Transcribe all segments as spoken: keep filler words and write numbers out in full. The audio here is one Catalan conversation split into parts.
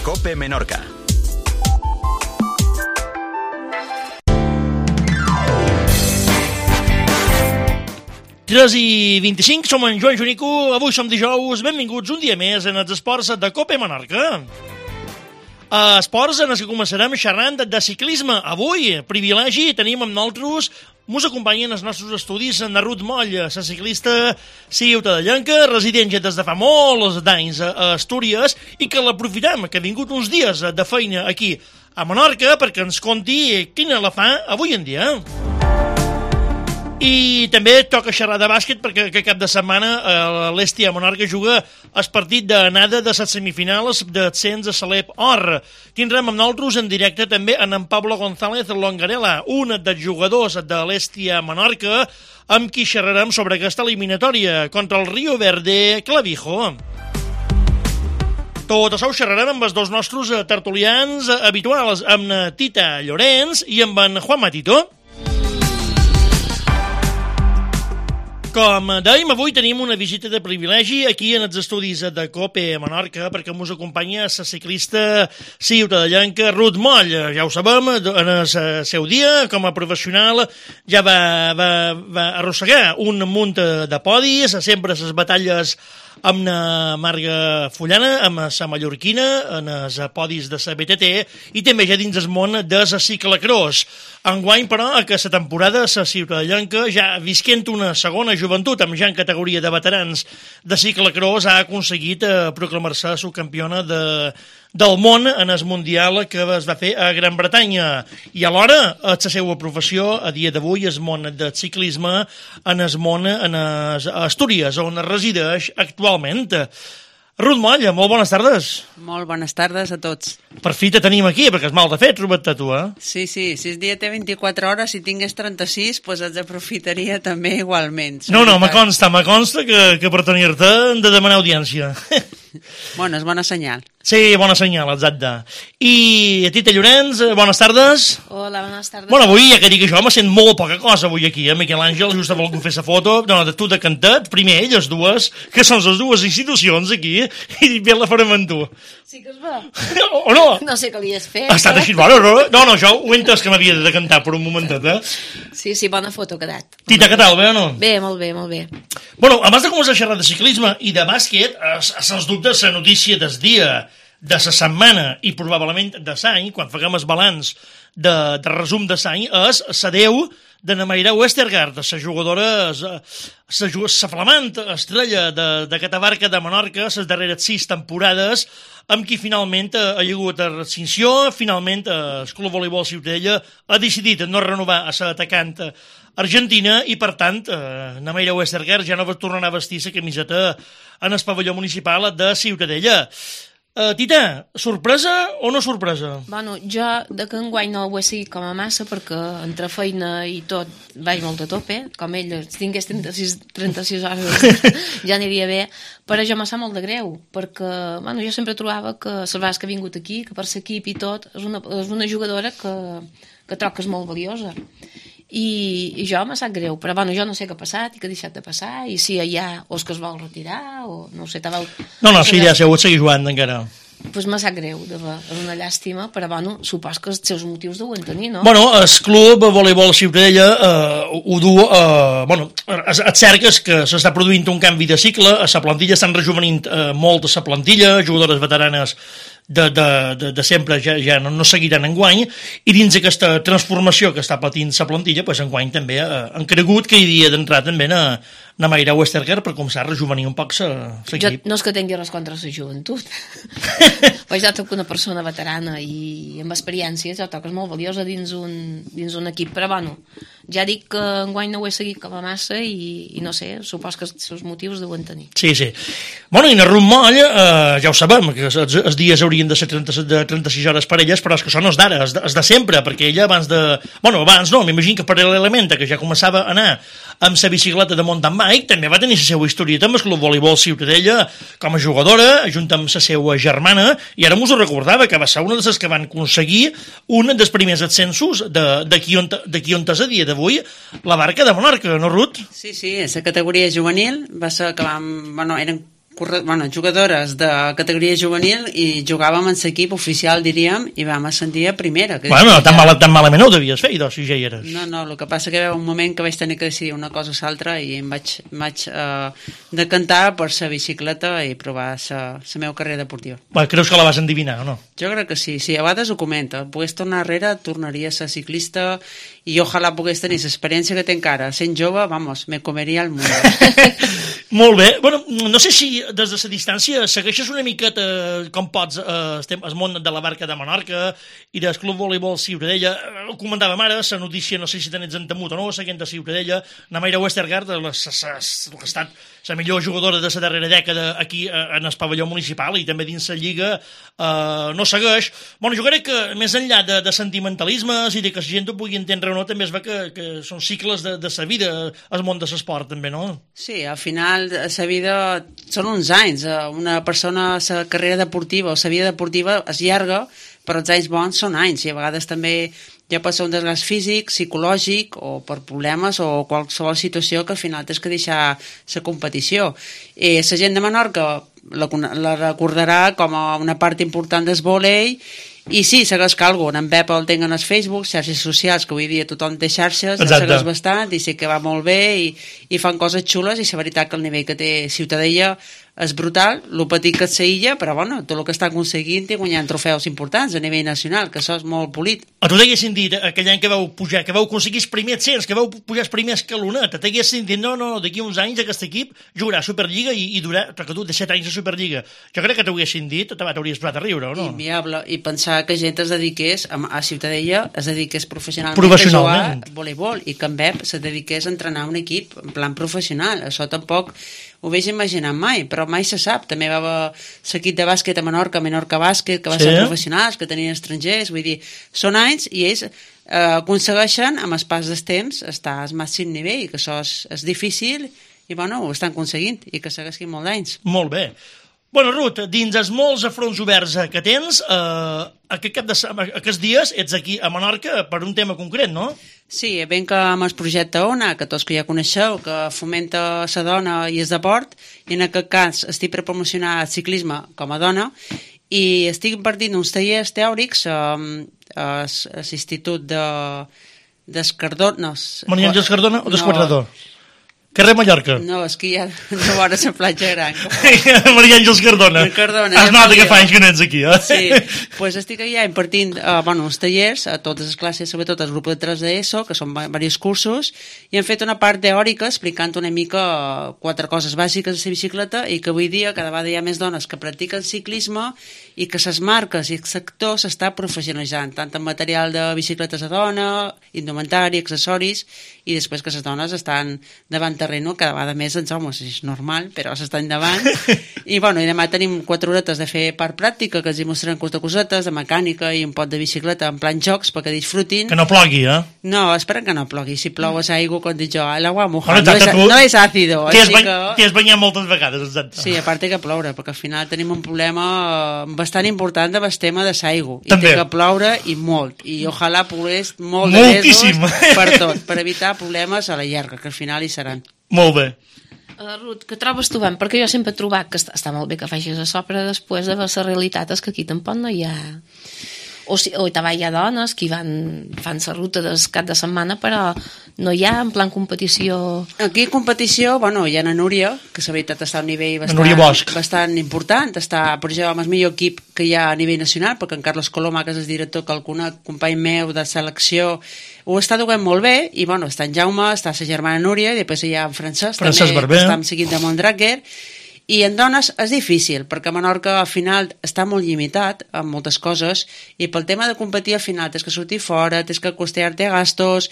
COPE Menorca. tres i vint-i-cinc, som en Joan Junico, avui som dijous, benvinguts un dia més en els esports de COPE Menorca. A esports en els que començarem xerrant de ciclisme. Avui, privilegi, tenim amb nosaltres, mos acompanyen els nostres estudis en Ruth Moll, la ciclista ciutadellenca, resident ja des de fa molts d'anys a Astúries, i que l'aprofitem, que ha vingut uns dies de feina aquí a Menorca perquè ens conti quina la fa avui en dia. I també toca xerrar de bàsquet perquè aquest cap de setmana l'Estia Menorca juga el partit d'anada de les semifinals d'ascens a Salep Or. Tindrem amb nosaltres en directe també en Pablo González Longarela, un dels jugadors de l'Estia Menorca, amb qui xerrarem sobre aquesta eliminatòria contra el Rio Verde Clavijo. Tot això ho xerrarem amb els dos nostres tertulians habituals, amb Tita Llorenç i amb en Juan Matito. Com dèiem, avui tenim una visita de privilegi aquí en els estudis de COPE Menorca perquè ens acompanya la ciclista ciutadellenca Ruth Moll. Ja ho sabem, en el seu dia, com a professional, ja va, va, va arrossegar un munt de podis, sempre les batalles amb la Marga Fullana, amb la mallorquina, en els podis de la B T T i també ja dins el món de la ciclacross. Enguany, però, que la temporada la ciutadellenca, ja visquent una segona joventut, amb ja en categoria de veterans de ciclacross, ha aconseguit eh, proclamar-se subcampiona de, del món en el Mundial que es va fer a Gran Bretanya. I alhora, a la seva professió, a dia d'avui, el món del ciclisme en el món, en les Astúries, on resideix actualment. Ruth Moll, molt bones tardes. Molt bones tardes a tots. Per fi te tenim aquí, perquè és mal de fet, trobar-te tu, eh? Sí, sí, si el dia té vint-i-quatre hores, si tingués trenta-sis, doncs els aprofitaria també igualment. No, no, me consta, me consta que, que per tenir-te hem de demanar audiència. Bueno, és bona senyal. Sí, bona senyal, exacte. I Tita Llorenç, bones tardes. Hola, bones tardes. Bueno, avui, ja que dic això, me sent molt poca cosa avui aquí, eh? Miquel Àngel, just ha volgut fer la foto, no, de tu de cantat, primer elles dues, que són les dues institucions aquí, i bé la farem amb tu. Sí que es va. O no? No sé què li has fet. Ha estat així, bueno, no, no, no, jo ho he entès que m'havia de cantar per un momentet, eh? Sí, sí, bona foto ha quedat. Tita, què tal, bé o no? Bé, molt bé, molt bé. Bueno, abans de començar a xerrar de ciclisme i de bàsquet, sens dubte la notícia del dia, de la setmana i probablement de l'any, quan faguem el balanç de, de resum de l'any, és l'adeu de Namaira Westergaard, la jugadora, la flamant estrella d'aquesta barca de Menorca, les darreres sis temporades, amb qui finalment ha hagut extinció. Finalment el Club Voleibol Ciutadella ha decidit no renovar a l'atacant argentina i, per tant, Namaira Westergaard ja no va tornar a vestir la camiseta en el pavelló municipal de Ciutadella. Uh, Tita, sorpresa o no sorpresa? Bueno, jo de que enguany no ho he seguit com a massa perquè entre feina i tot vaig molt a tope, com ell, si tingués trenta-sis, trenta-sis hores ja aniria bé, però jo me sap molt de greu, perquè bueno, jo sempre trobava que les vegades que ha vingut aquí, que per l'equip i tot, és una, és una jugadora que, que troc que és molt valiosa. I, i jo me sap greu, però bueno, jo no sé què ha passat i què ha deixat de passar, i si hi ha o és que es vol retirar o no sé, t'aveu... No, no, sí, ja ha sigut seguir jugant encara. Doncs pues me sap greu, de ver, és una llàstima, però bueno, supos que els seus motius deuen tenir, no? Bueno, el Club Voleibol Ciutadella eh, ho du, eh, bueno, és cert que, que s'està produint un canvi de cicle, a la plantilla estan rejuvenint eh, molt a la plantilla, jugadores veteranes de, de, de, de sempre ja, ja no, no seguiran enguany, i dins aquesta transformació que està patint la plantilla, pues enguany també eh, han cregut que hi havia d'entrar també na, na Mayra Westergaard per començar a rejuvenir un poc l'equip. Jo no és que tingui res contra la joventut, però jo toc una persona veterana i amb experiència, jo toc és molt valiosa dins un, dins un equip, però bueno, ja dic que enguany no ho he seguit com a massa i, i no sé, supos que els seus motius deuen tenir. Sí, sí. Bueno, i na Ruth Moll, eh, ja ho sabem, que els, els dies haurien de ser trenta, de trenta-sis hores per elles, però és que això no és d'ara, és, de, és de sempre, perquè ella abans de... Bueno, abans no, m'imagino que paral·lelament, que ja començava a anar amb la bicicleta de mountain bike, també va tenir la seva historieta amb el Club Voleibol Ciutadella com a jugadora, junt amb la seva germana, i ara m'ho recordava, que va ser una de les que van aconseguir un dels primers ascensos d'aquí on, on és a dia d'avui, la barca de Menorca, no, Ruth? Sí, sí, la categoria juvenil va ser que vam... Bueno, eren corre... bueno, jugadores de categoria juvenil i jugàvem en l'equip oficial, diríem, i vam ascendir a primera. Que bueno, tan, mal, tan malament no ho devies fer, idò, si ja hi eres. No, no, el que passa que hi va un moment que vaig tenir que decidir una cosa o l'altra i em vaig, em vaig eh, decantar per la bicicleta i provar la meva carrera deportiva. Bueno, creus que la vas endivinar, o no? Jo crec que sí, sí, a vegades ho comenta. Pogués tornar darrere, tornaria a ser ciclista i ojalà pogués tenir l'experiència que té encara. Sent jove, vamos, me comeria el món. Molt bé. Bueno, no sé si des de la distància segueixes una miqueta com pots eh, estem al món de la Barca de Menorca i del Club Voleibol Ciutadella. Ho comentàvem ara, la notícia, no sé si tenets entemut o no, seguint de Ciutadella, la Mayra Westergaard, la, la, la, la que ha estat la millor jugadora de la darrera dècada aquí en el pavelló municipal i també dins la Lliga, eh, no segueix. Bueno, jo crec que més enllà de, de sentimentalismes i de que la gent ho pugui entendre o no, també es ve que, que són cicles de, de sa vida al món de l'esport, també, no? Sí, al final la vida són uns anys. Una persona, la carrera deportiva o la vida deportiva es llarga, però els anys bons són anys i a vegades també ja pot ser un desgast físic, psicològic o per problemes o qualsevol situació que al final tens que deixar la competició. I la gent de Menorca la, la recordarà com a una part important del vòlei i sí, segueix calgo. En Pep el tenen als Facebook, xarxes socials, que avui dia tothom té xarxes, el segueix bastant i sé que va molt bé i, i fan coses xules i la veritat que el nivell que té Ciutadella és brutal, el petit que és la illa, però bueno, tot el que està aconseguint i guanyant trofeus importants a nivell nacional, que això és molt polit. A tu t'haguessin dit, aquell any que vau pujar, que vau aconseguir els primers cents, que vau pujar els primers escalonets, t'haguessin dit, no, no, d'aquí uns anys aquest equip jugarà a Superliga i, i durarà, perquè tu de set anys a Superliga. Jo crec que t'haguessin dit, t'hauries posat a riure, o no? Inviable, i pensar que gent es dediqués a, a Ciutadella, es dediqués professionalment, professionalment. a jugar a voleibol, i que en Pep se dediqués a entrenar un equip en plan professional. Això tampoc ho veig imaginant mai, però mai se sap. També va haver l'equip de bàsquet a Menorca, Menorca Bàsquet, que va sí. ser professionals, que tenien estrangers, vull dir, són anys i ells eh, aconsegueixen, amb el pas del temps, estar al màxim nivell, que això és, és difícil i bueno, ho estan aconseguint i que segueixin molt d'anys. Molt bé. Bueno, Ruth, dins els molts afronts oberts que tens, eh, aquest cap de, aquests dies ets aquí a Menorca per un tema concret, no? Sí, ben que amb el projecte ONA, que tots que ja coneixeu, que fomenta la dona i el deport, i en aquest cas estic per promocionar el ciclisme com a dona, i estic impartint uns tallers teòrics eh, a l'Institut de, d'Escardona. Maria Àngels Cardona o d'Esquadrador? No. Carrer Mallorca. No, és que ja no vora la platja gran. Maria Àngels Cardona. Cardona. Has nota que fa anys que no ets aquí, eh? Sí, doncs pues estic allà impartint uh, bueno, uns tallers a totes les classes, sobretot al grup de tres d'ESO, que són diversos cursos, i hem fet una part teòrica explicant una mica uh, quatre coses bàsiques de la bicicleta i que avui dia cada vegada hi ha més dones que practiquen ciclisme i que les marques i el sector s'està professionalitzant, tant en material de bicicletes a dona, indumentari, accessoris, i després que les dones estan davant terreno cada vegada més els homes, és normal, però s'estan davant. I bueno, i demà tenim quatre horetes de fer part pràctica, que els hi mostrarem quatre cosetes, de mecànica i un pot de bicicleta en plan jocs perquè disfrutin. Que no plogui, eh? No, esperen que no plogui. Si plou és aigua, com dic jo, l'aigua mojada, no, és, no és àcido. T'hi has, que... has banyat moltes vegades, exacte. Sí, a part té que ploure, perquè al final tenim un problema bastant important amb el tema de l'aigua. I té que ploure i molt. I ojalà pogués molt de Moltíssim. mesos per tot, per evitar problemes a la llarga, que al final hi seran. Molt bé. Uh, Ruth, què trobes tu, ben? Perquè jo sempre he trobat que està, està molt bé que facis això, però després de la realitat és que aquí tampoc no hi ha... O, si, o també hi ha dones que van, fan la ruta del cap de setmana, però no hi ha en plan competició... Aquí competició, bueno, hi ha la Núria, que la veritat està a un nivell bastant, bastant important, està, per exemple, amb el millor equip que hi ha a nivell nacional, perquè en Carlos Coloma, que és el director, que el conec, company meu de selecció, ho està duent molt bé, i bueno, està en Jaume, està la germana Núria, i després hi ha en Francesc, Francesc també, Barber. que està seguint de Mondraker. I en dones és difícil, perquè Menorca al final està molt limitat en moltes coses i pel tema de competir al final tens que sortir fora, tens que costear-te gastos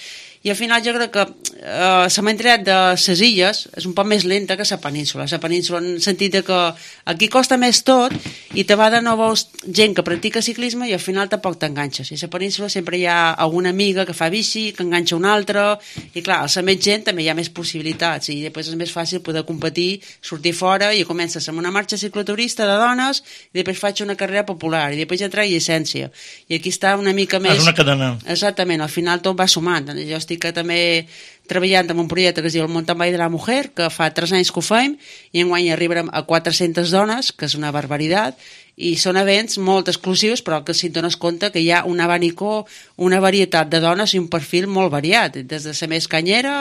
i al final jo crec que eh, la mentalitat de les illes és un poc més lenta que la península. La península en el sentit que aquí costa més tot i te va de no veus gent que practica ciclisme i al final tampoc t'enganxes. I a la península sempre hi ha alguna amiga que fa bici, que enganxa una altra i clar, al ser més gent també hi ha més possibilitats i després és més fàcil poder competir, sortir fora i comences amb una marxa cicloturista de dones i després faig una carrera popular i després ja traig llicència. I aquí està una mica més... És una cadena. Exactament, al final tot va sumant. Jo estic estic també treballant en un projecte que es diu el Mountain Bike de la Mujer, que fa tres anys que ho fem, i enguany arribarem a quatre-centes dones, que és una barbaritat, i són events molt exclusius, però que si et dones compte que hi ha un abanicó, una varietat de dones i un perfil molt variat, des de la més canyera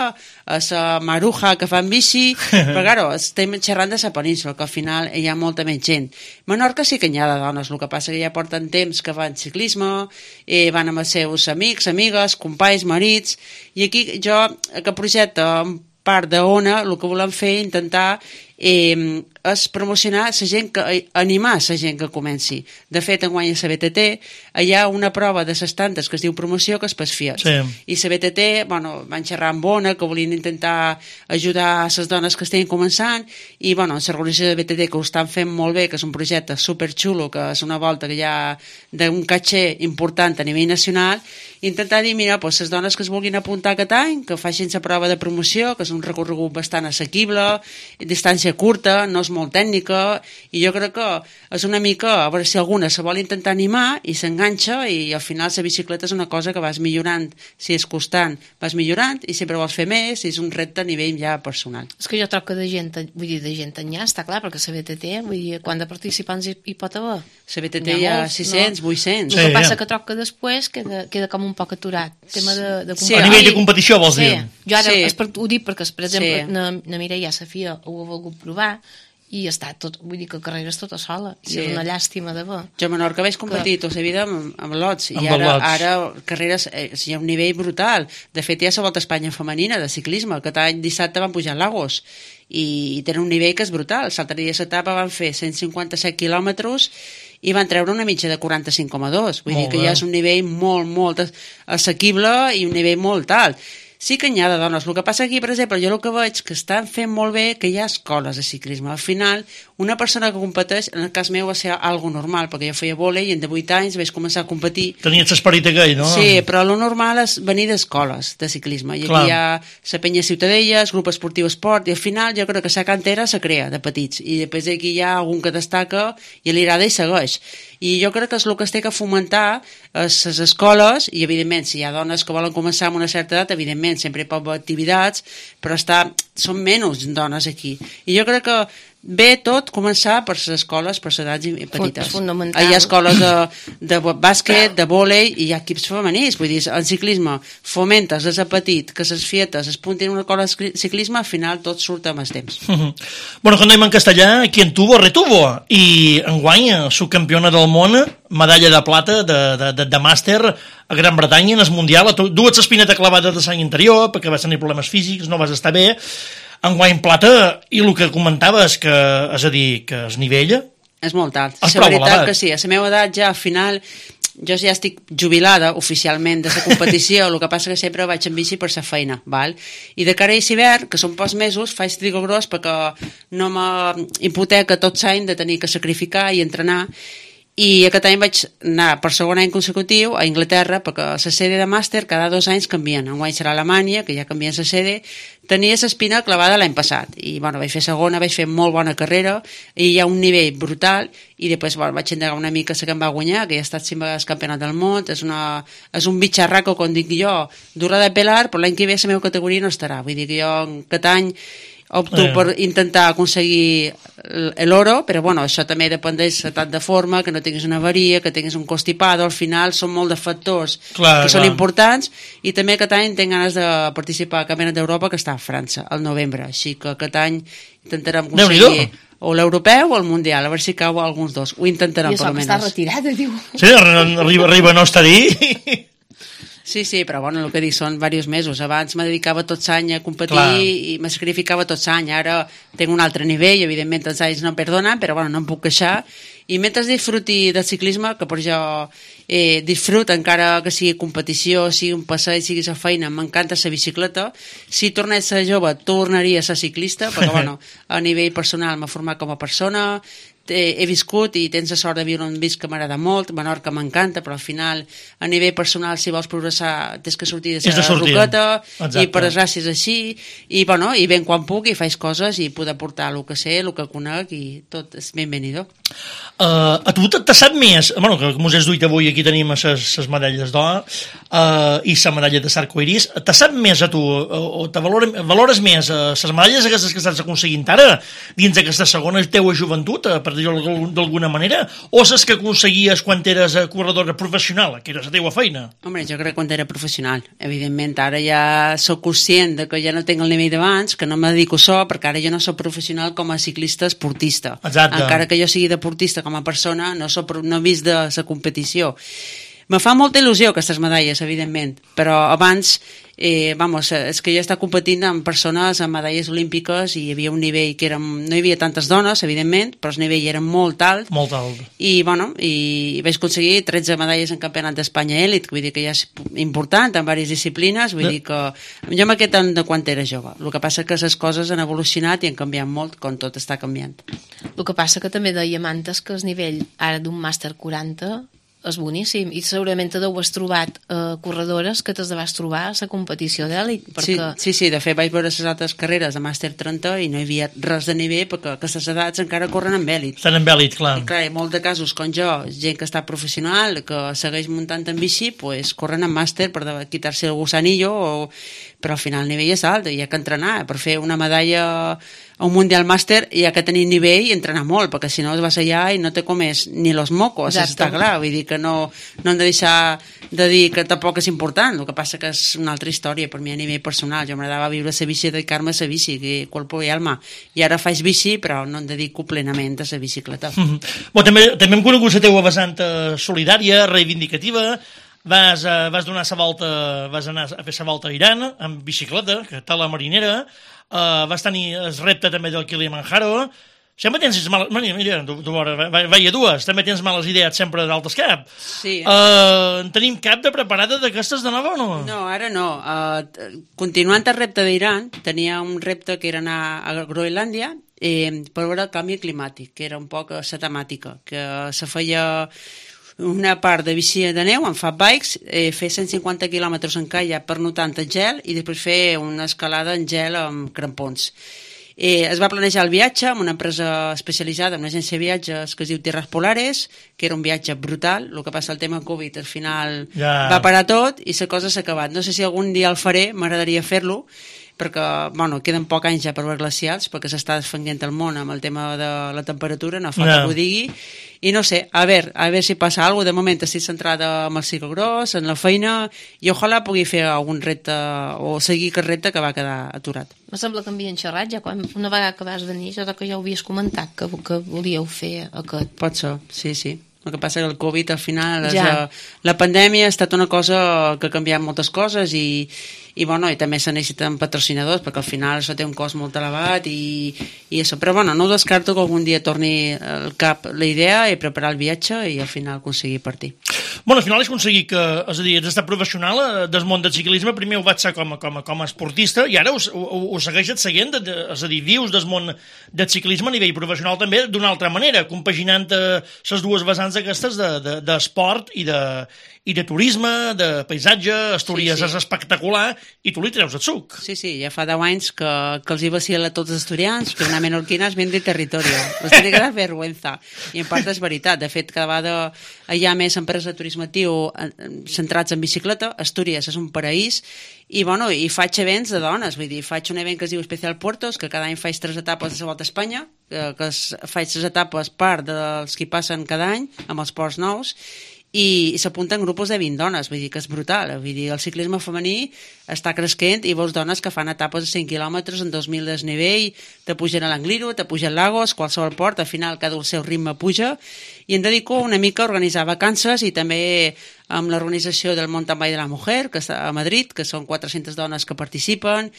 a la maruja que fan bici, però claro, estem xerrant de la península, que al final hi ha molta menys gent. Menorca sí que n'hi ha de dones, el que passa que ja porten temps que fan ciclisme, eh, van amb els seus amics, amigues, companys, marits, i aquí jo, aquest projecte, en part d'Ona, el que volem fer, intentar eh, és promocionar la gent, que, animar la gent que comenci. De fet, enguany a la B T T hi ha una prova de les tantes que es diu promoció, que és pels Fiat. Sí. I la B T T, bueno, van xerrar amb Ona, que volien intentar ajudar a les dones que estiguin començant, i bueno, l'organització de B T T, que ho estan fent molt bé, que és un projecte superxulo, que és una volta que hi ha d'un caché important a nivell nacional, intentar dir, mira, doncs, les dones que es vulguin apuntar aquest any, que facin la prova de promoció, que és un recorregut bastant assequible, distància curta, no és molt tècnica, i jo crec que és una mica, a veure si alguna se vol intentar animar i s'enganxa, i al final la bicicleta és una cosa que vas millorant, si és constant vas millorant, i sempre vols fer més, i és un repte a nivell ja personal. És que jo trobo que de gent, vull dir, de gent enllà, està clar, perquè la B T T, vull dir, quant de participants hi, hi pot haver? La B T T hi ha sis-cents, no? vuit-cents. El que Sí, passa ja. que trobo que després queda, queda com un poc aturat, tema de, de Sí, A nivell de competició, vols sí. dir? Jo ara Sí. és per, ho dic perquè, per exemple, Sí. na, na Mireia Safia ho ha volgut provar i està tot, vull dir que la carrera és tota sola, i Sí. és una llàstima de ver. Jo a Menorca vaig competir tota la vida amb, amb lots, i Amb ara, lots. ara carreres, eh, hi ha un nivell brutal. De fet, hi ha la Volta a Espanya femenina de ciclisme, aquest any dissabte van pujar a Lagos, i, i tenen un nivell que és brutal. L'altre dia l'etapa van fer cent cinquanta-set quilòmetres i van treure una mitja de quaranta-cinc coma dos. Vull Molt dir que bé. ja és un nivell molt, molt assequible i un nivell molt alt. Sí que n'hi ha de dones. El que passa aquí, per exemple, jo el que veig que estan fent molt bé que hi ha escoles de ciclisme. Al final, una persona que competeix, en el cas meu va ser algo normal, perquè jo feia vòlei i en de vuit anys vaig començar a competir. Tenies l'esperit aquell, no? Sí, però lo normal és venir d'escoles de ciclisme. I aquí Clar. hi ha la penya Ciutadella, el grup esportiu esport, i al final jo crec que la cantera se crea de petits. I després aquí hi ha algun que destaca i li agrada i segueix. I jo crec que és el que es té que fomentar a les escoles, i evidentment si hi ha dones que volen començar amb una certa edat, evidentment sempre hi pot haver activitats, però està, són menys dones aquí. I jo crec que bé tot començar per les escoles, per les edats petites. És fonamental. Hi ha escoles de, de bàsquet, de vòlei, i hi ha equips femenins. Vull dir, en ciclisme fomentes des de petit que les fietes es puntin en una escola de ciclisme, al final tot surt amb el temps. Mhm. Bueno, quan anem en castellà, quien tuvo, retuvo. I enguany, subcampiona del món, medalla de plata de, de, de, de màster a Gran Bretanya en el Mundial. Dues l'espineta clavada de l'any anterior perquè vas tenir problemes físics, no vas estar bé. Enguany plata, i el que comentaves, que, és a dir, que es nivella. És molt alt. És La prou veritat elevat. que sí, a la meva edat ja al final jo ja estic jubilada oficialment de la competició, el que passa que sempre vaig en bici per la feina, val? I de cara a l'hivern, que són pocs mesos, faig trigo gros perquè no m'hipoteca tot l'any de tenir que sacrificar i entrenar. I aquest any vaig anar per segon any consecutiu a Anglaterra, perquè la sede de màster cada dos anys canvien. Enguany serà Alemanya, que ja canvien la sede. Tenia l'espina clavada l'any passat, i bueno, vaig fer segona, vaig fer molt bona carrera, i hi ha un nivell brutal, i després bueno, vaig endegar una mica la que em va guanyar, que ja ha estat cinc vegades campionat del món. És, una, és un bitxarraco, com dic jo, dura de pelar, però l'any que ve la meva categoria no estarà. Vull dir que jo aquest any opto Eh. per intentar aconseguir l'oro, però bueno, això també dependeix de l'estat de forma, que no tinguis una avaria, que tinguis un constipado. Al final són molt de factors Clar, que són clar. importants, i també aquest any tinc ganes de participar al Campionat d'Europa, que està a França al novembre, així que aquest any intentarem Déu-n'hi-do. aconseguir o l'europeu o el mundial, a veure si cau alguns dos. Ho intentarem, I per això que està almenys. retirada, diu. Sí, arriba, arriba a no estar dir. Sí, sí, però bueno, el que dic són diversos mesos. Abans me dedicava tot l'any a competir Clar. i me sacrificava tot l'any. Ara tinc un altre nivell, evidentment els anys no perdonen, però bueno, no em puc queixar. I mentre disfruti del ciclisme, que per jo eh, disfrut, encara que sigui competició, sigui un passeig, sigui la feina, m'encanta la bicicleta. Si tornés a ser jove, tornaria a ser ciclista, perquè bueno, a nivell personal m'ha format com a persona, he, he viscut i tens la sort de viure on visc que m'agrada molt, Menorca m'encanta, però al final a nivell personal si vols progressar tens que sortir de la roqueta i per desgràcia és així i, bueno, i ben quan puc i faig coses i poder portar el que sé, el que conec i tot és benvenido. Uh, a tu te sap més, bueno, que com us has duit avui aquí tenim les medalles d'or uh, i la medalla de Sarcoiris, te sap més a tu o te valores, valores més les medalles aquestes que estàs aconseguint ara dins d'aquesta segona teua joventut, per dir-ho d'alguna manera, o les que aconseguies quan eres corredora professional, que era la teua feina? Home, jo crec que quan era professional. Evidentment, ara ja soc conscient de que ja no tinc el nivell d'abans, que no me dedico a això, perquè ara jo no soc professional com a ciclista esportista. Exacte. Encara que jo sigui deportista com a persona, no, soc, no he vist de la competició. Me fa molta il·lusió aquestes medalles, evidentment, però abans, eh, vamos, és que jo he estat competint amb persones amb medalles olímpiques i hi havia un nivell que érem, no hi havia tantes dones, evidentment, però el nivell era molt alt. Molt alt. I, bueno, i vaig aconseguir tretze medalles en campionat d'Espanya èlit, vull dir que ja és important, en diverses disciplines, vull de... dir que jo m'he quedat de quan era jove. El que passa que les coses han evolucionat i han canviat molt, com tot està canviant. El que passa que també dèiem antes que el nivell ara d'un màster quaranta és boníssim i segurament te deu has trobat eh, corredores que t'has de vas trobar a la competició d'èlit perquè... sí, sí, sí, de fet vaig veure les altres carreres de màster trenta i no hi havia res de nivell perquè aquestes edats encara corren amb èlit. Estan amb èlit, clar. I clar, hi ha molts de casos com jo, gent que està professional, que segueix muntant en bici, pues, corren amb màster per quitar-se el gusanillo, o... però al final el nivell és alt i hi ha que entrenar per fer una medalla a un mundial màster hi ha que tenir nivell i entrenar molt, perquè si no es vas allà i no te comes ni los mocos, exacte. Està clar, vull dir que no, no hem de deixar de dir que tampoc és important, el que passa que és una altra història per mi a nivell personal, jo m'agradava viure la bici i dedicar-me a la bici, que cuerpo i alma, i ara faig bici però no em dedico plenament a la bicicleta. Mm-hmm. Bon, també, també hem conegut la teua vessant solidària, reivindicativa. Vas, uh, vas donar sa volta, vas anar a fer sa volta a Iran amb bicicleta, que tal la marinera, uh, vas tenir el repte també del Kilimanjaro. Sempre tens males... Mira, mira tu, tu veure, veia dues, també tens males idees sempre d'altres cap. Sí. Uh, en tenim cap de preparada d'aquestes de nova o no? No, ara no. Uh, continuant el repte d'Iran, tenia un repte que era anar a Groenlàndia eh, per veure el canvi climàtic, que era un poc la temàtica, que se feia una part de bici de neu amb fat bikes, eh, fer cent cinquanta quilòmetres en kayak per notar tant el gel i després fer una escalada en gel amb crampons. Eh, es va planejar el viatge amb una empresa especialitzada, una agència de viatges que es diu Tierras Polares, que era un viatge brutal, el que passa el tema Covid al final ja... va parar tot i la cosa s'ha acabat. No sé si algun dia el faré, m'agradaria fer-lo, perquè bueno, queden pocs anys ja per veure glacials, perquè s'està desfenguent el món amb el tema de la temperatura, no fa yeah. que ho digui, i no sé, a veure, a veure si passa alguna cosa. De moment estic centrada en el ciclocross, en la feina, i ojalà pugui fer algun repte o seguir aquest repte que va quedar aturat. Me sembla que havien xerrat ja quan una vegada que vas venir, jo que ja ho havies comentat que, que volíeu fer aquest. Pot ser, sí, sí. El que passa que el Covid al final és, ja. la, la pandèmia ha estat una cosa que ha canviat moltes coses i, i, bueno, i també se necessiten patrocinadors perquè al final això té un cost molt elevat i, i això, però bueno, no descarto que algun dia torni al cap la idea i preparar el viatge i al final aconseguir partir. Bueno, al final és aconseguir que, és a dir, ets estat professional del món del ciclisme, primer ho vaig ser com a, com a, com a esportista i ara ho, ho, ho segueixes seguint, de, de, és a dir, vius del món del ciclisme a nivell professional també d'una altra manera, compaginant les dues vessants aquestes d'esport de, de i de i de turisme, de paisatge, Astúries sí, sí. és espectacular, i tu li treus el suc. Sí, sí, ja fa deu anys que, que els hi vacila a tots els asturians, que una menorquina es vende territorio. Els tiene que dar vergüenza. I en part és veritat. De fet, cada vegada hi ha més empreses de turisme actiu centrats en bicicleta. Astúries és un paraís, i, bueno, i faig events de dones, vull dir, faig un event que es diu Especial Puertos, que cada any faig tres etapes de la Volta a Espanya, que, que faig tres etapes part dels que passen cada any, amb els ports nous, i s'apunten grupos de vint dones, vull dir que és brutal, vull dir, el ciclisme femení està cresquent i veus dones que fan etapes de cent quilòmetres en dos mil desnivell, te pugen a l'Angliru, te pugen Lagos, qualsevol port, al final cada el seu ritme puja i em dedico una mica a organitzar vacances i també amb l'organització del Mountain Bike de la Mujer, que està a Madrid, que són quatre-centes dones que participen,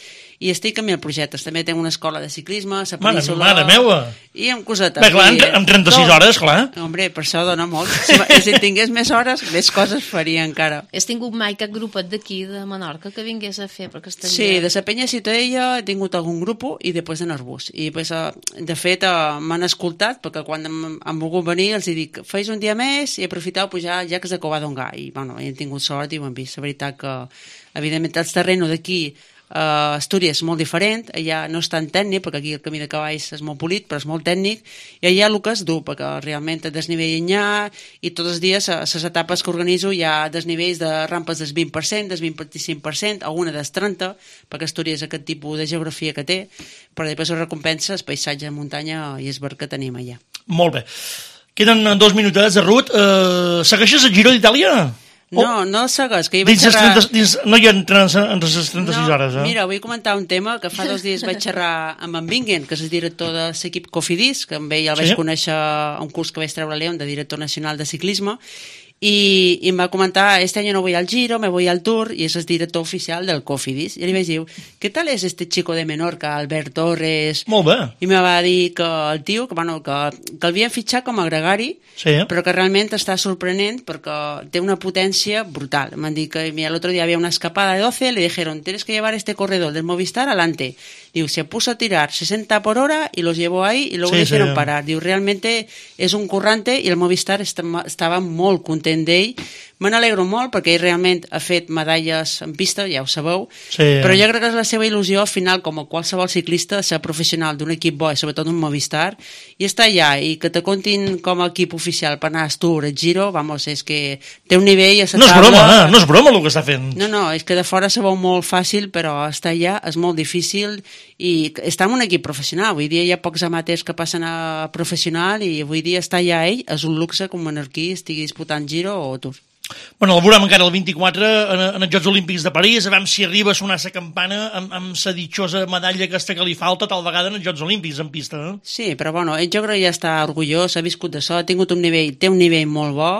i estic en mil projectes. També tinc una escola de ciclisme, a Península... Mare, mare meua! I amb cosetes. Bé, clar, amb trenta-sis hores, clar. Hombre, per això dona molt. Si, si tingués més hores, més coses faria encara. Has tingut mai cap grupet d'aquí, de Menorca, que vingués a fer? Perquè estaria... Sí, de la Penya Ciutadella he tingut algun grup i després de Narbús. I després, de fet, m'han escoltat, perquè quan han, han volgut venir els dic, feis un dia més i aprofiteu a pujar a llacs de Covadonga. I, bueno, he tingut sort i ho han vist. La veritat que, evidentment, el terreno d'aquí Uh, Astúries és molt diferent, allà no és tan tècnic, perquè aquí el camí de cavalls és molt polit, però és molt tècnic, i allà el que és dur, perquè realment el desnivell hi ha, i tots els dies, a les etapes que organitzo, hi ha desnivells de rampes del vint per cent, del vint-i-cinc per cent, alguna del trenta per cent, perquè Astúries és aquest tipus de geografia que té, però després ho recompensa el paisatge de muntanya i el verd que tenim allà. Molt bé. Queden dos minutets, Ruth. Uh, segueixes el Giro d'Itàlia? No, oh. no segues, que hi vaig dins xerrar... trenta, dins, no hi ha entre les trenta-sis no, hores, eh? Mira, vull comentar un tema que fa dos dies vaig xerrar amb en Bingen, que és el director de l'equip Cofidis, que amb ell el vaig sí? conèixer a un curs que vaig treure a León de director nacional de ciclisme, i, i em va comentar, este año no voy al Giro, me voy al Tour, i és el director oficial del Cofidis. I li vaig dir, ¿qué tal es este chico de Menorca, Albert Torres? Molt bé. I me va dir que el tio, que, bueno, que, que l'havien fitxat com a gregari, sí. però que realment està sorprenent perquè té una potència brutal. M'han dit que mira, el otro día había una escapada de doce, le dijeron, tienes que llevar este corredor del Movistar adelante. Diu, se puso a tirar sesenta por hora y los llevó ahí y luego sí, le hicieron sí. parar. Diu, realmente és un currante i el Movistar estava molt content d'ell. Me n'alegro molt perquè ell realment ha fet medalles en pista, ja ho sabeu, sí. però jo crec que és la seva il·lusió al final, com a qualsevol ciclista, ser professional d'un equip bo i sobretot d'un Movistar, i estar allà i que te comptin com a equip oficial per anar al Tour, al Giro, vamos, és que té un nivell a la no és taula... broma, eh? No és broma el que està fent. No, no, és que de fora se veu molt fàcil, però estar allà és molt difícil i està en un equip professional. Avui dia hi ha pocs amateurs que passen a professional i avui dia estar allà ell és un luxe que un menorquí estigui disputant Giro o Tour. Bueno, el veurem encara el vint-i-quatre en, en els Jocs Olímpics de París, a veure si arriba a sonar la campana amb, amb la ditjosa medalla aquesta que li falta tal vegada en els Jocs Olímpics en pista. Eh? Sí, però bueno, ell jo crec que ja està orgullós, ha viscut d'això, ha tingut un nivell, té un nivell molt bo,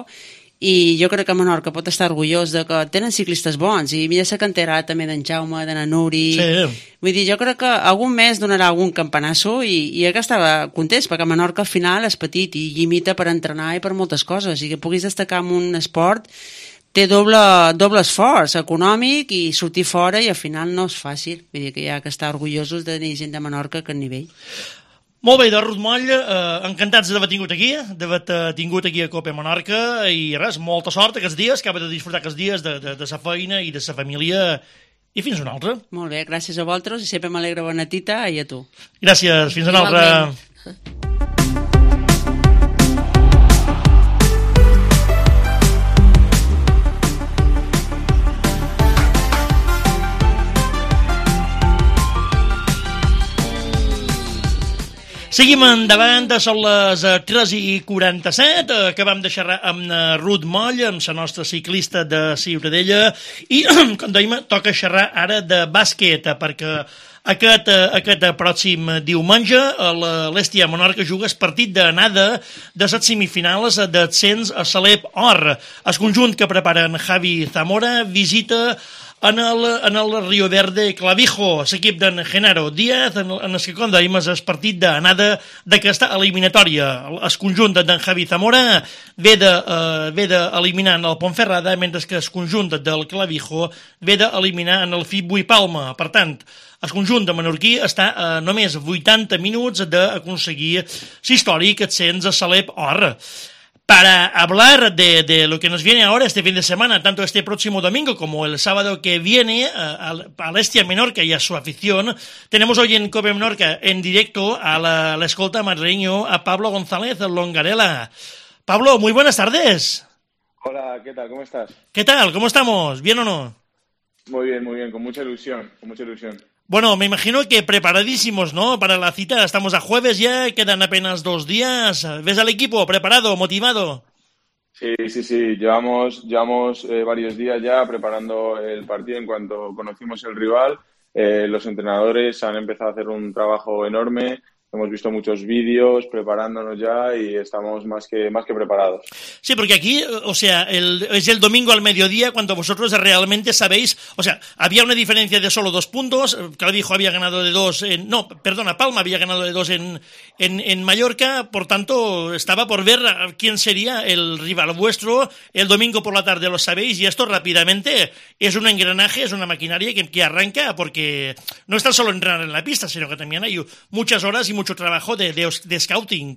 i jo crec que Menorca pot estar orgullós de que tenen ciclistes bons, i mira la cantera també d'en Jaume, de na Nuri... Sí. Vull dir, jo crec que algun mes donarà algun campanasso i, i que estava content, perquè Menorca al final és petit i limita per entrenar i per moltes coses, i que puguis destacar en un esport té doble, doble esforç econòmic i sortir fora i al final no és fàcil. Vull dir que hi ha que estar orgullosos de tenir gent de Menorca a aquest nivell. Molt bé, doncs, Ruth Moll, eh, encantats d'haver tingut aquí, d'haver tingut aquí a Cope Menorca, i res, molta sort aquests dies, que ha de disfrutar aquests dies de, de, de sa feina i de sa família, i fins una altra. Molt bé, gràcies a vosaltres, i sempre m'alegra bona tita, i a tu. Gràcies, fins una altra. Seguim endavant, són les tres i quaranta-set, acabam de xerrar amb Ruth Moll, amb la nostra ciclista de Ciutadella, i, com dèiem, toca xerrar ara de bàsquet, perquè aquest, aquest pròxim diumenge l'Hèstia Menorca juga el partit d'anada de les semifinals d'ascens a Salep Or. El conjunt que preparen Javi Zamora visita en el, en el Rio Verde Clavijo, l'equip d'en Genaro Díaz, en, en el que, com dèiem, és el partit d'anada d'aquesta eliminatòria. El conjunt d'en Javi Zamora ve d'eliminar en el Ponferrada, mentre que el conjunt del Clavijo ve d'eliminar en el Fibui Palma. Per tant, el conjunt de menorquí està a només vuitanta minuts d'aconseguir l'històric ascens a Salep Or. Para hablar de, de lo que nos viene ahora este fin de semana, tanto este próximo domingo como el sábado que viene, a, a la Hèstia Menorca y a su afición, tenemos hoy en Cope Menorca en directo a la, la escolta madrileño a Pablo González Longarela. Pablo, muy buenas tardes. Hola, ¿qué tal? ¿Cómo estás? ¿Qué tal? ¿Cómo estamos? ¿Bien o no? Muy bien, muy bien, con mucha ilusión, con mucha ilusión. Bueno, me imagino que preparadísimos, ¿no? Para la cita, estamos a jueves ya, quedan apenas dos días. ¿Ves al equipo preparado, motivado? Sí, sí, sí, llevamos, llevamos eh, varios días ya preparando el partido. En cuanto conocimos el rival, eh, los entrenadores han empezado a hacer un trabajo enorme, hemos visto muchos vídeos preparándonos ya y estamos más que, más que preparados. Sí, porque aquí, o sea, el, es el domingo al mediodía cuando vosotros realmente sabéis, o sea, había una diferencia de solo dos puntos, Clavijo había ganado de dos, en, no, perdona, Palma había ganado de dos en, en, en Mallorca, por tanto, estaba por ver quién sería el rival vuestro, el domingo por la tarde lo sabéis, y esto rápidamente es un engranaje, es una maquinaria que, que arranca, porque no está solo entrenar en la pista, sino que también hay muchas horas y mucho trabajo de, de, de scouting.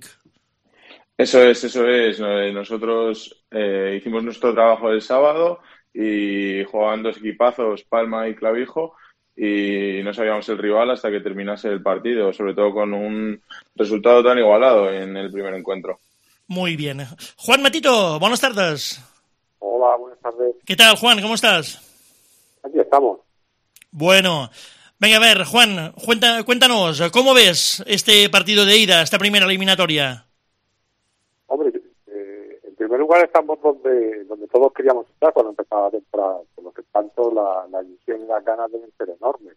Eso es, eso es. Nosotros eh, hicimos nuestro trabajo el sábado y jugaban dos equipazos, Palma y Clavijo, y no sabíamos el rival hasta que terminase el partido, sobre todo con un resultado tan igualado en el primer encuentro. Muy bien. Juan Matito, buenas tardes. Hola, buenas tardes. ¿Qué tal, Juan? ¿Cómo estás? Aquí estamos. Bueno, venga, a ver, Juan, cuenta, cuéntanos, ¿cómo ves este partido de ida, esta primera eliminatoria? Hombre, eh, en primer lugar estamos donde donde todos queríamos estar cuando empezaba la temporada, por lo que tanto la, la ilusión y las ganas deben ser enormes.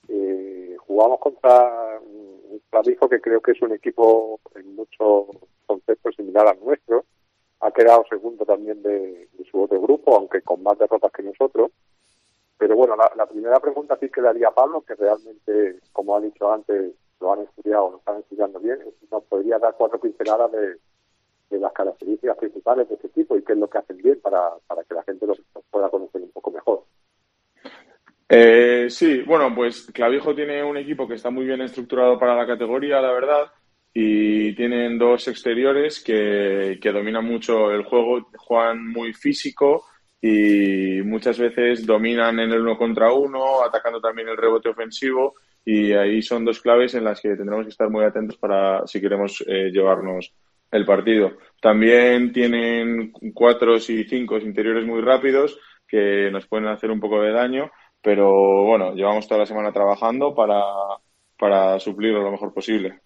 Eh, jugamos contra un Clavijo que creo que es un equipo en muchos conceptos similar al nuestro. Ha quedado segundo también de, de su otro grupo, aunque con más derrotas que nosotros. Pero bueno, la, la primera pregunta sí que le haría a Pablo, que realmente, como ha dicho antes, lo han estudiado, lo están estudiando bien. Nos podría dar cuatro pinceladas de, de las características principales de este equipo y qué es lo que hacen bien para, para que la gente los pueda conocer un poco mejor. Eh, sí, bueno, pues Clavijo tiene un equipo que está muy bien estructurado para la categoría, la verdad, y tienen dos exteriores que, que dominan mucho el juego, juegan muy físico y muchas veces dominan en el uno contra uno, atacando también el rebote ofensivo, y ahí son dos claves en las que tendremos que estar muy atentos para si queremos eh, llevarnos el partido. También tienen cuatros y cinco interiores muy rápidos que nos pueden hacer un poco de daño, pero bueno, llevamos toda la semana trabajando para, para suplirlo lo mejor posible.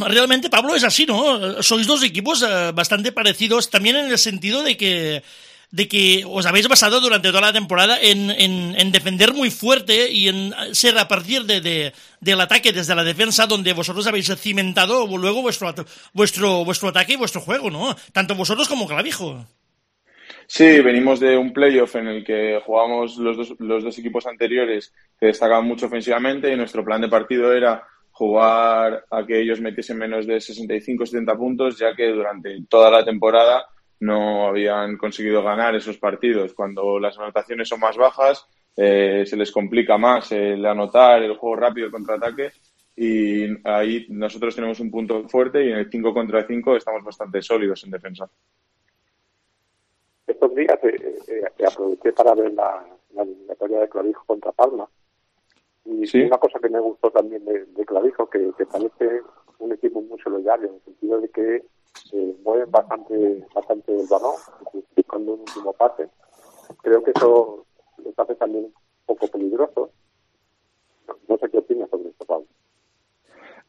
Realmente, Pablo, es así, ¿no? Sois dos equipos eh, bastante parecidos, también en el sentido de que de que os habéis basado durante toda la temporada en, en, en defender muy fuerte y en ser a partir de, de, del ataque desde la defensa donde vosotros habéis cimentado luego vuestro, vuestro, vuestro ataque y vuestro juego, ¿no? Tanto vosotros como Clavijo. Sí, venimos de un playoff en el que jugamos los dos, los dos equipos anteriores que destacaban mucho ofensivamente y nuestro plan de partido era jugar a que ellos metiesen menos de sesenta y cinco setenta puntos, ya que durante toda la temporada no habían conseguido ganar esos partidos. Cuando las anotaciones son más bajas, eh, se les complica más el anotar, el juego rápido, el contraataque, y ahí nosotros tenemos un punto fuerte y en el cinco contra cinco estamos bastante sólidos en defensa. Estos días eh, eh, aproveché para ver la, la eliminatoria de Clavijo contra Palma. Y ¿sí? Una cosa que me gustó también de, de Clavijo, que, que parece un equipo muy solidario, en el sentido de que eh, mueven bastante bastante el balón, buscando un último pase. Creo que eso les hace también un poco peligroso. No, no sé qué opinas sobre esto, Pablo.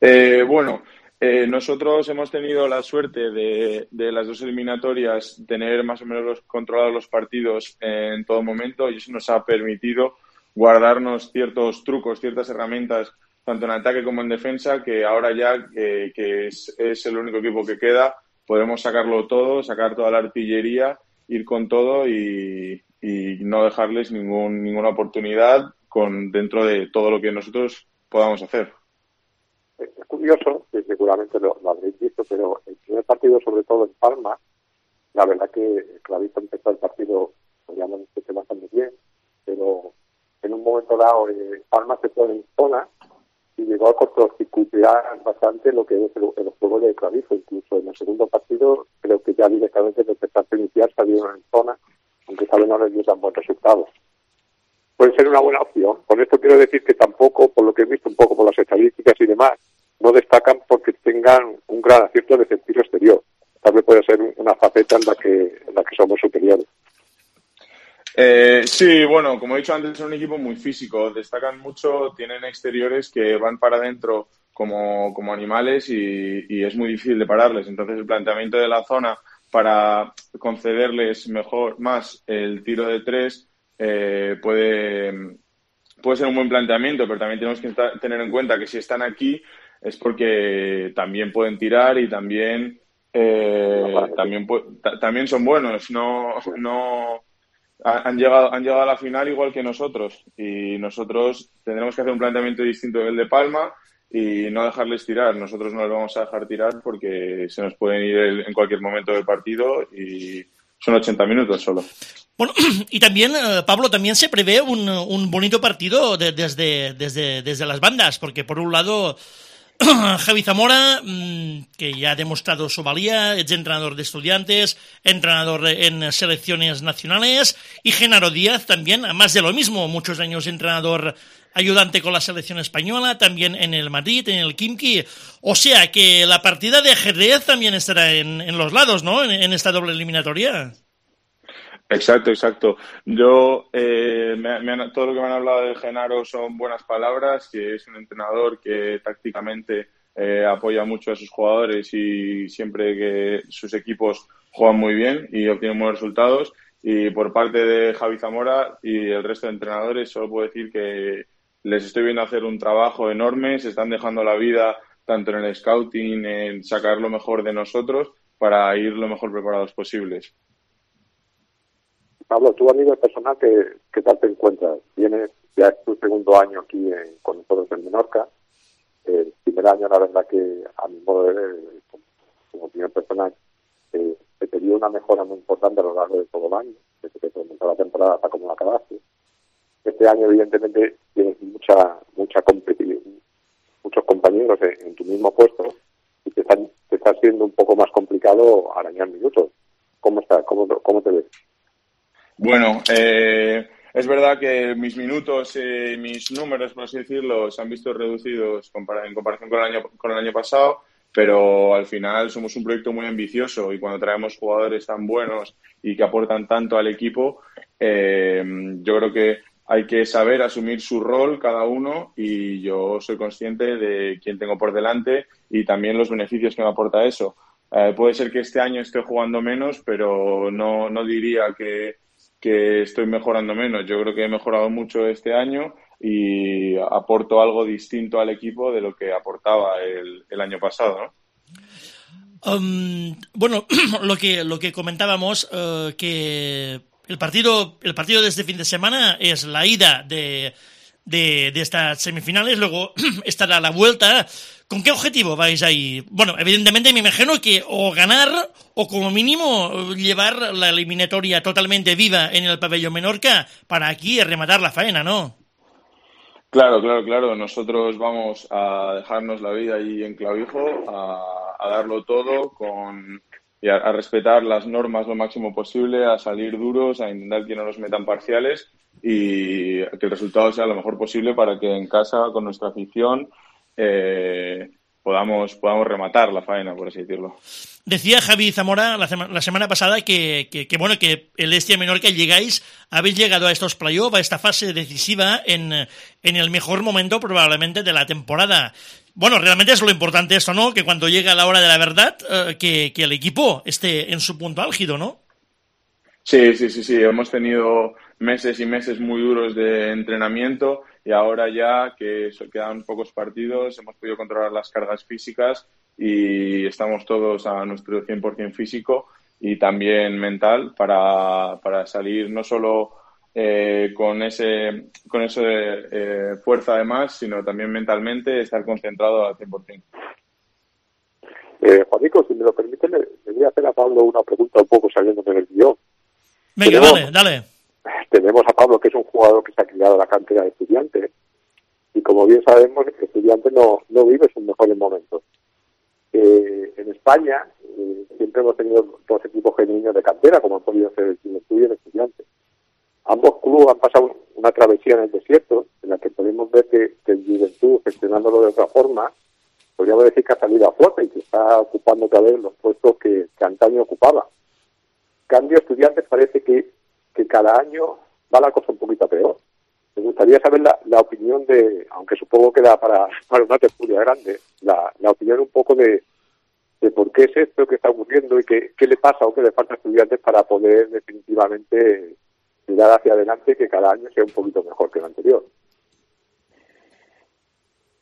Eh, bueno, eh, nosotros hemos tenido la suerte de, de las dos eliminatorias tener más o menos controlados los partidos en todo momento, y eso nos ha permitido guardarnos ciertos trucos, ciertas herramientas, tanto en ataque como en defensa, que ahora ya que, que es, es el único equipo que queda, podemos sacarlo todo, sacar toda la artillería, ir con todo y, y no dejarles ningún, ninguna oportunidad con dentro de todo lo que nosotros podamos hacer. Es curioso, que seguramente lo, lo habréis visto, pero el primer partido, sobre todo en Palma, la verdad que Clavijo empezó el partido, podríamos decir que bastante bien, pero en un momento dado eh, Palma se pone en zona y llegó a cortocircuitar bastante lo que es el, el juego de Clavijo. Incluso en el segundo partido creo que ya directamente desde el empezar a iniciar salieron en zona, aunque saben no les dio tan buenos resultados. Puede ser una buena opción. Con esto quiero decir que tampoco, por lo que he visto un poco por las estadísticas y demás, no destacan porque tengan un gran acierto de sentido exterior. Tal vez puede ser una faceta en la que, en la que somos superiores. Eh, sí, bueno, como he dicho antes, es un equipo muy físico, destacan mucho, tienen exteriores que van para adentro como, como animales y, y es muy difícil de pararles. Entonces el planteamiento de la zona para concederles mejor más el tiro de tres eh, puede, puede ser un buen planteamiento, pero también tenemos que estar, tener en cuenta que si están aquí es porque también pueden tirar y también eh, también también son buenos. No no han llegado han llegado a la final igual que nosotros, y nosotros tendremos que hacer un planteamiento distinto del de Palma y no dejarles tirar. Nosotros no les vamos a dejar tirar porque se nos pueden ir en cualquier momento del partido y son ochenta minutos solo. Bueno, y también, eh, Pablo, también se prevé un, un bonito partido de, desde, desde, desde las bandas, porque por un lado Javi Zamora, que ya ha demostrado su valía, es entrenador de Estudiantes, entrenador en selecciones nacionales, y Genaro Díaz también, más de lo mismo, muchos años entrenador ayudante con la selección española, también en el Madrid, en el Khimki. O sea que la partida de ajedrez también estará en, en los lados, ¿no? En, en esta doble eliminatoria. Exacto, exacto. Yo, eh, me, me han, todo lo que me han hablado de Genaro son buenas palabras, que es un entrenador que tácticamente eh, apoya mucho a sus jugadores y siempre que sus equipos juegan muy bien y obtienen buenos resultados. Y por parte de Javi Zamora y el resto de entrenadores, solo puedo decir que les estoy viendo hacer un trabajo enorme, se están dejando la vida tanto en el scouting, en sacar lo mejor de nosotros para ir lo mejor preparados posibles. Pablo, tú a nivel personal, ¿qué, qué tal te encuentras? Tienes ya es tu segundo año aquí en, con nosotros en Menorca. El primer año, la verdad que a mi modo de ver, como, como opinión personal, eh, se te dio una mejora muy importante a lo largo de todo el año, desde que comenzó la temporada hasta como la acabaste. Este año, evidentemente, tienes mucha mucha competitividad, muchos compañeros en, en tu mismo puesto y te, están, te está siendo un poco más complicado arañar minutos. ¿Cómo estás? ¿Cómo, cómo te ves? Bueno, eh, es verdad que mis minutos, eh, mis números, por así decirlo, se han visto reducidos en comparación con el año, con el año pasado, pero al final somos un proyecto muy ambicioso y cuando traemos jugadores tan buenos y que aportan tanto al equipo, eh, yo creo que hay que saber asumir su rol cada uno y yo soy consciente de quién tengo por delante y también los beneficios que me aporta eso. Eh, puede ser que este año esté jugando menos, pero no, no diría que, que estoy mejorando menos. Yo creo que he mejorado mucho este año y aporto algo distinto al equipo de lo que aportaba el, el año pasado, ¿no? Um, bueno, lo que, lo que comentábamos, uh, que el partido, el partido de este fin de semana es la ida de, de, de estas semifinales, luego estará la vuelta. ¿Con qué objetivo vais ahí? Bueno, evidentemente me imagino que o ganar o como mínimo llevar la eliminatoria totalmente viva en el pabellón Menorca para aquí rematar la faena, ¿no? Claro, claro, claro. Nosotros vamos a dejarnos la vida ahí en Clavijo, a, a darlo todo con y a, a respetar las normas lo máximo posible, a salir duros, a intentar que no nos metan parciales y que el resultado sea lo mejor posible para que en casa, con nuestra afición, eh, podamos, podamos rematar la faena, por así decirlo. Decía Javi Zamora la, sema, la semana pasada que, que, que, bueno, que el Hestia Menorca llegáis, habéis llegado a estos playoffs, a esta fase decisiva en, en el mejor momento probablemente de la temporada. Bueno, realmente es lo importante esto, ¿no? Que cuando llega la hora de la verdad, eh, que, que el equipo esté en su punto álgido, ¿no? Sí, sí, sí, sí. Hemos tenido meses y meses muy duros de entrenamiento y ahora ya que quedan pocos partidos hemos podido controlar las cargas físicas y estamos todos a nuestro cien por ciento físico y también mental para, para salir no solo eh, con ese con esa eh, fuerza además, sino también mentalmente estar concentrado al cien por ciento. Eh, Juanico, si me lo permite, le, le voy a hacer a Pablo una pregunta un poco saliéndome del guión. Venga, tenemos, dale, dale. Tenemos a Pablo, que es un jugador que se ha criado a la cantera de Estudiantes, y como bien sabemos, el Estudiantes no, no vive sus mejores momentos. Eh, en España eh, siempre hemos tenido dos equipos genuinos de cantera, como han podido ser el Juventud y el Estudiantes. Ambos clubes han pasado una travesía en el desierto, en la que podemos ver que, que el Juventud, gestionándolo de otra forma, podríamos decir que ha salido a flote y que está ocupando otra vez los puestos que, que antaño ocupaba. Cambio, Estudiantes parece que, que cada año va la cosa un poquito peor. Me gustaría saber la, la opinión de, aunque supongo que da para, para una tertulia grande, la, la opinión un poco de, de por qué es esto que está ocurriendo y qué, qué le pasa o qué le falta a Estudiantes para poder definitivamente mirar hacia adelante y que cada año sea un poquito mejor que el anterior.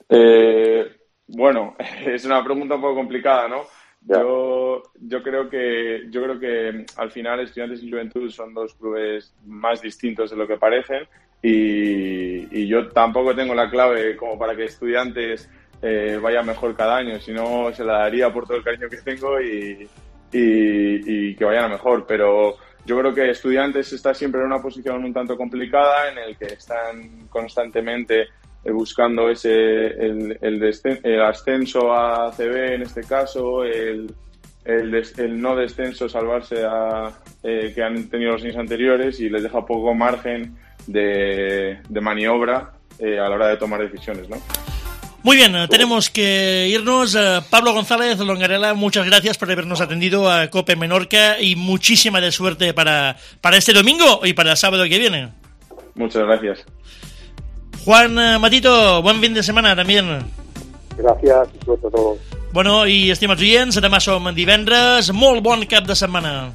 Eh, Bueno, es una pregunta un poco complicada, ¿no? Ya. Yo, yo creo que yo creo que al final Estudiantes y Juventud son dos clubes más distintos de lo que parecen y, y yo tampoco tengo la clave como para que Estudiantes eh, vaya mejor cada año, si no se la daría por todo el cariño que tengo y, y, y que vayan a mejor, pero yo creo que Estudiantes está siempre en una posición un tanto complicada en el que están constantemente buscando ese el, el, descen- el ascenso a A C B en este caso, el, el, des- el no descenso, salvarse a eh, que han tenido los años anteriores y les deja poco margen de, de maniobra eh, a la hora de tomar decisiones, ¿no? Muy bien, tenemos que irnos. Pablo González Longarela, muchas gracias por habernos atendido a COPE Menorca y muchísima de suerte para, para este domingo y para el sábado que viene. Muchas gracias. Juan Matito, buen fin de setmana también. Gràcies, i sobretot Bueno, i estimats oients, demà som divendres. Molt bon cap de setmana.